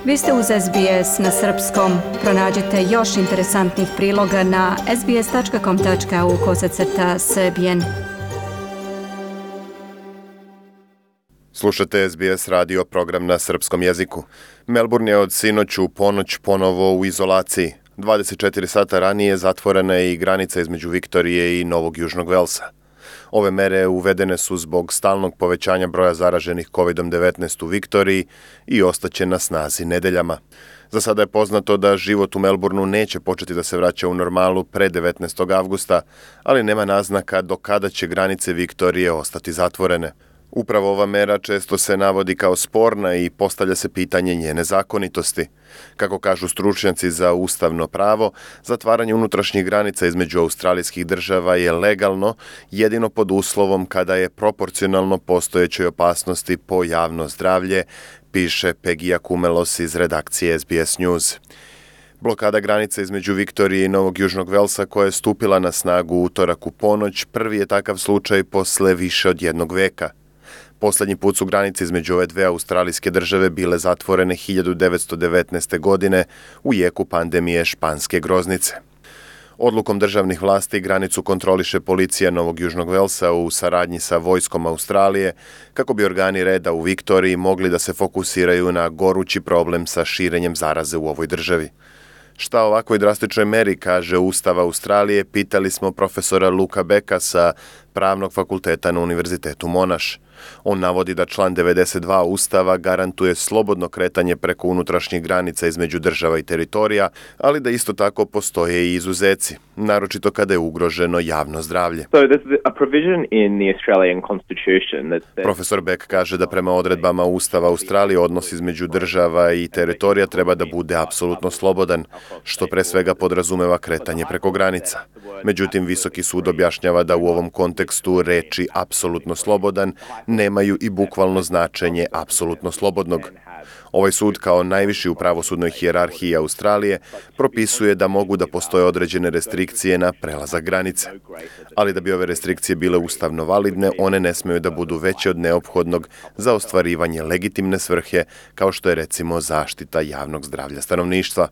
Vi ste uz SBS na srpskom. Pronađite još interesantnih priloga na sbs.com.au/srbijen. Slušate SBS radio program na srpskom jeziku. Melbourne je od sinoć u ponoć ponovo u izolaciji. 24 sata ranije zatvorena je i granica između Viktorije i Novog Južnog Velsa. Ove mere uvedene su zbog stalnog povećanja broja zaraženih COVID-19 u Viktoriji i ostaće na snazi nedeljama. Za sada je poznato da život u Melbourneu neće početi da se vraća u normalu pre 19. avgusta, ali nema naznaka do kada će granice Viktorije ostati zatvorene. Upravo ova mera često se navodi kao sporna i postavlja se pitanje njene zakonitosti. Kako kažu stručnjaci za ustavno pravo, zatvaranje unutrašnjih granica između australijskih država je legalno jedino pod uslovom kada je proporcionalno postojećoj opasnosti po javno zdravlje, piše Pegija Kumelos iz redakcije SBS News. Blokada granice između Viktorije i Novog Južnog Velsa koja je stupila na snagu utorak u ponoć prvi je takav slučaj posle više od jednog veka. Poslednji put su granice između ove dve australijske države bile zatvorene 1919. godine u jeku pandemije španske groznice. Odlukom državnih vlasti granicu kontroliše policija Novog Južnog Velsa u saradnji sa vojskom Australije kako bi organi reda u Viktoriji mogli da se fokusiraju na gorući problem sa širenjem zaraze u ovoj državi. Šta o ovakvoj drastičnoj meri kaže Ustav Australije, pitali smo profesora Luka Becka sa Pravnog fakulteta na Univerzitetu Monash. On navodi da član 92 Ustava garantuje slobodno kretanje preko unutrašnjih granica između država i teritorija, ali da isto tako postoje i izuzeci, naročito kada je ugroženo javno zdravlje. Profesor Beck kaže da prema odredbama Ustava Australije odnos između država i teritorija treba da bude apsolutno slobodan, što pre svega podrazumeva kretanje preko granica. Međutim, Visoki sud objašnjava da u ovom kontekstu reči apsolutno slobodan nemaju i bukvalno značenje apsolutno slobodnog. Ovaj sud kao najviši u pravosudnoj hijerarhiji Australije propisuje da mogu da postoje određene restrikcije na prelazak granice. Ali da bi ove restrikcije bile ustavno validne, one ne smeju da budu veće od neophodnog za ostvarivanje legitimne svrhe, kao što je recimo zaštita javnog zdravlja stanovništva.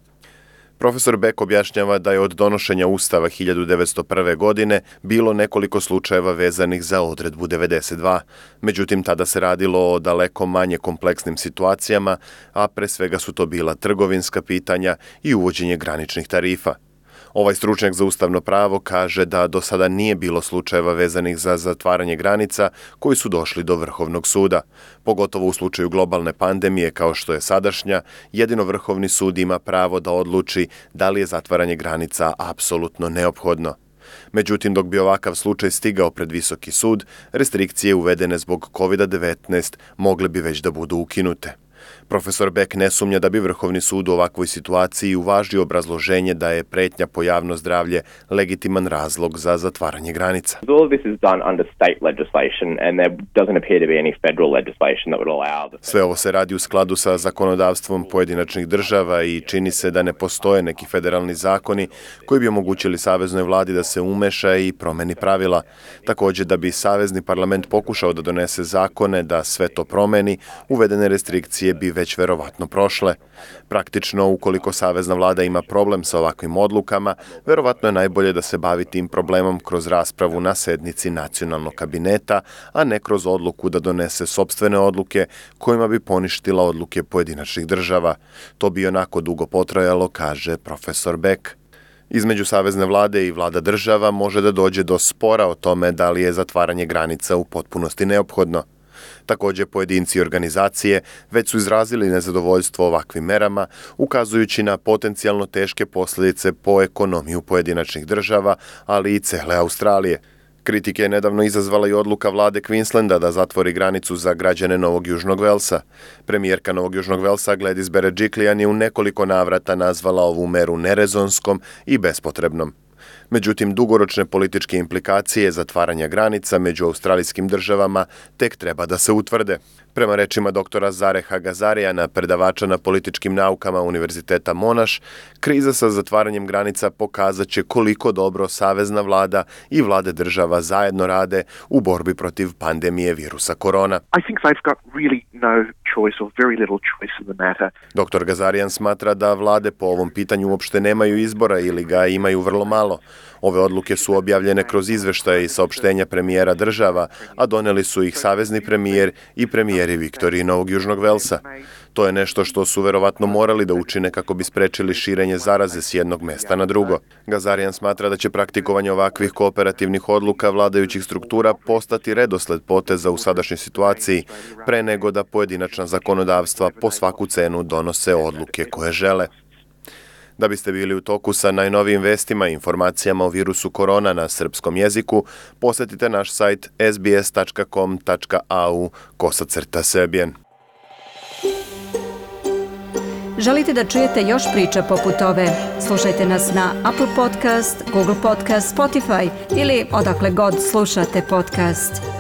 Profesor Beck objašnjava da je od donošenja Ustava 1901. godine bilo nekoliko slučajeva vezanih za odredbu 92. Međutim, tada se radilo o daleko manje kompleksnim situacijama, a pre svega su to bila trgovinska pitanja i uvođenje graničnih tarifa. Ovaj stručnjak za ustavno pravo kaže da do sada nije bilo slučajeva vezanih za zatvaranje granica koji su došli do Vrhovnog suda. Pogotovo u slučaju globalne pandemije kao što je sadašnja, jedino Vrhovni sud ima pravo da odluči da li je zatvaranje granica apsolutno neophodno. Međutim, dok bi ovakav slučaj stigao pred Visoki sud, restrikcije uvedene zbog COVID-19 mogle bi već da budu ukinute. Profesor Beck ne sumnja da bi Vrhovni sud u ovakvoj situaciji uvažio obrazloženje da je pretnja po javno zdravlje legitiman razlog za zatvaranje granica. Sve ovo se radi u skladu sa zakonodavstvom pojedinačnih država i čini se da ne postoje neki federalni zakoni koji bi omogućili saveznoj vladi da se umeša i promeni pravila. Također, da bi savezni parlament pokušao da donese zakone da sve to promeni, uvedene restrikcije bi već verovatno prošle. Praktično, ukoliko savezna vlada ima problem sa ovakvim odlukama, verovatno je najbolje da se bavi tim problemom kroz raspravu na sednici nacionalnog kabineta, a ne kroz odluku da donese sopstvene odluke kojima bi poništila odluke pojedinačnih država. To bi onako dugo potrajalo, kaže profesor Beck. Između savezne vlade i vlada država može da dođe do spora o tome da li je zatvaranje granica u potpunosti neophodno. Također, pojedinci i organizacije već su izrazili nezadovoljstvo ovakvim merama, ukazujući na potencijalno teške posljedice po ekonomiju pojedinačnih država, ali i cele Australije. Kritike je nedavno izazvala i odluka vlade Queenslanda da zatvori granicu za građane Novog Južnog Velsa. Premijerka Novog Južnog Velsa Gladys Berejiklian je u nekoliko navrata nazvala ovu meru nerezonskom i bespotrebnom. Međutim, dugoročne političke implikacije zatvaranja granica među australijskim državama tek treba da se utvrde. Prema rečima doktora Zareha Gazarijana, predavača na političkim naukama Univerziteta Monash, kriza sa zatvaranjem granica pokazat će koliko dobro savezna vlada i vlade država zajedno rade u borbi protiv pandemije virusa korona. I think they've got really no choice or very little choice in the matter. Dr. Gazarian smatra da vlade po ovom pitanju uopšte nemaju izbora ili ga imaju vrlo malo. Ove odluke su objavljene kroz izveštaje i saopštenja premijera država, a doneli su ih savezni premijer i premijeri Viktorije i Novog Južnog Velsa. To je nešto što su verovatno morali da učine kako bi sprečili širenje zaraze s jednog mesta na drugo. Gazarian smatra da će praktikovanje ovakvih kooperativnih odluka vladajućih struktura postati redosled poteza u sadašnjoj situaciji, pre nego da pojedinačna zakonodavstva po svaku cenu donose odluke koje žele. Da biste bili u toku sa najnovijim vestima i informacijama o virusu korona na srpskom jeziku, posetite naš sajt sbs.com.au/Serbian. Želite da čujete još priča poput ove? Slušajte nas na Apple Podcast, Google Podcast, Spotify ili odakle god slušate podcast.